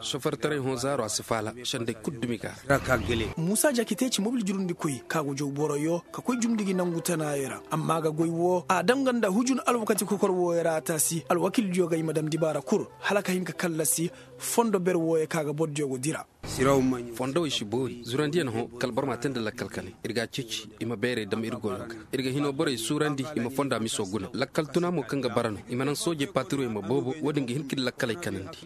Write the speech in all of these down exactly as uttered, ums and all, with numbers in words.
Sofertaray hõ zaaro a si faala. Senday kul dumi ga. Muusa jakite ci mobil jurundikoy ka go jaw boroyo ka koy jumndi gi nangu tanaayo ra. Amma ga goy woo a dam ga nda hujun alwakati kokor wooyo ra a taasi alwakildiyo ga i ma dam dibaara kul hala ka hin ka kallasi fondo ber wooyo ka ga bordiyo go dira. Fondowey si boori zurandiyaŋ hõ kala boro ma a tee nda lakkal kale. Ir ga a ceeci i ma bayray dam ir goyo ga. Ir ga hinoo borey suurandi i ma fonda miso guna lakkal tuna mo kaŋ ga bara no i ma naŋ soojey patirowey ma boobo. Woodin ga hin ka ir lakkaley kanandi.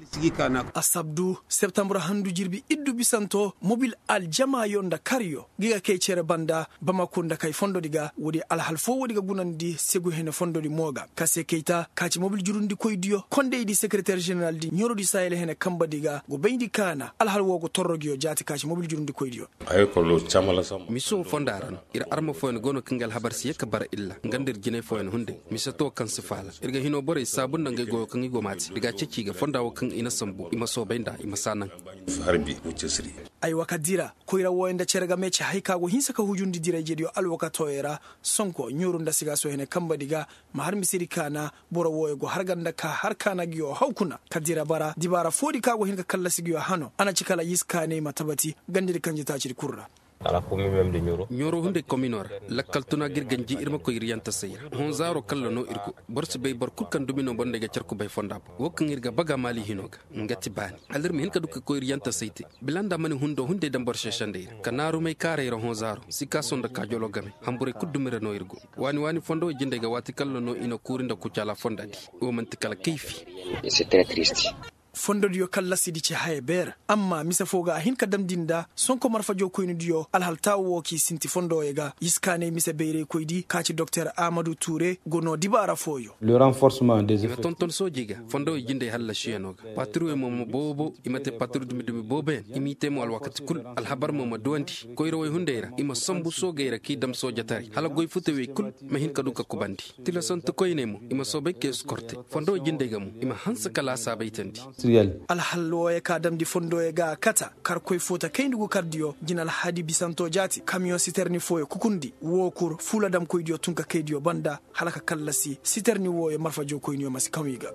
Asabdu septambur handu jirbi iddu bisanto mobil aljamaayo nda karyo gi ga kay cere banda bamako nda kay fondodi ga woodi alhal foo woodi ga gunandi segu hene fondodi mo ga ka se kayta ka ci mobil jurundikoydiyo kondaydi sekereter ženeraldi ɲorodi sahel hene kambadi ga go bayndi kaana alhal woo go torro nguyo jaati ka ci mobil jurundikoydiyo. Miso fonda ra no ir arma fooyaŋ go no kaŋ ga alhabar si ye ka bara illa nga nda ir jinay fooyaŋ hunday mise to kaŋ si faala ir ga hinoo borey saabu nda ngey goyo kaŋ i go maati ir ga a ceeci i ga fonda woo kaŋ i na sambu i ma soobay nda i ma si a naŋ. Aywa ka dira koyra wooyaŋ nda cere game ci hay ka go hinsa ka hujundi diray jediyo alwakatooyo ra. Sonko ɲuuru nda sigaaso hene kambadi ga ma har misedi kaana boro wooyo go har ga nda ka har kaana nguyo haw kuna ka dira bara dibaara foodi ka go hin ka kallasi nguyo hano a na ci kala yis kaaney ma tabati gandedi kanjetaacidi kul ra. Ɲooro hunday komino ra lakkal tuna ga ir ganji ir ma koy ir yantasay ra hõ zaaro kalla no ir go. Boro si bay boro kul kaŋ dumi no boro nda ay ga car kubay fonda boŋ woo kaŋ ir ga baga maali hino ga nga ti baani hala ir ma hin ka du ka koy ir yantasay te. Bila nda a mana hundo hunday daŋ boro seesandey ra ka naarumay kaaray ra hõ zaaro sikaaso nda kaajoloo game. Hamburey kul dumi ra no ir go. Waani waani fondowey jindey ga waati kalla no i na kuuri nda kucaala fondadi. Woo man'ti kala kayfi. Fondodiyo kallasidi ci haya beer amma mise foo ga a hin ka damndi nda sonko marfajoo koynidiyo alhal taawu woo k'i sinti fondowey ga yiskaaney mise bayraykoydi ka ci doktor ahmadu tuure go noo dibaara fooyo. I ma tonton soojey ga fondowey jindey hallasiyanoo ga patirwey mo ma boobo i ma te patir dumi-dumi booboyaŋ i m'i te mo alwakati kul. Alhabar mo ma duwandi koyrawey hunday ra i ma sambu soogey ra k'i dam soojataray hala goy futawey kul ma hin ka du ka kubandi. Tilasante koyney mo i ma soobay ka eskorte fondowey jindey ga mo i ma hanse ka laasaabay teendi. Alhal wooyo ka damndi fondowey ga a kata karkoy foota kayndi gu kardiyo jina alhadi bisanto jaati kamiyoŋ siterni fooyo kukundi woo kur fuula damkoydiyo tun ka kaydiyo banda hala ka kallasi siterni wooyo marfajoo koyniyo ma si kaŋ i ga.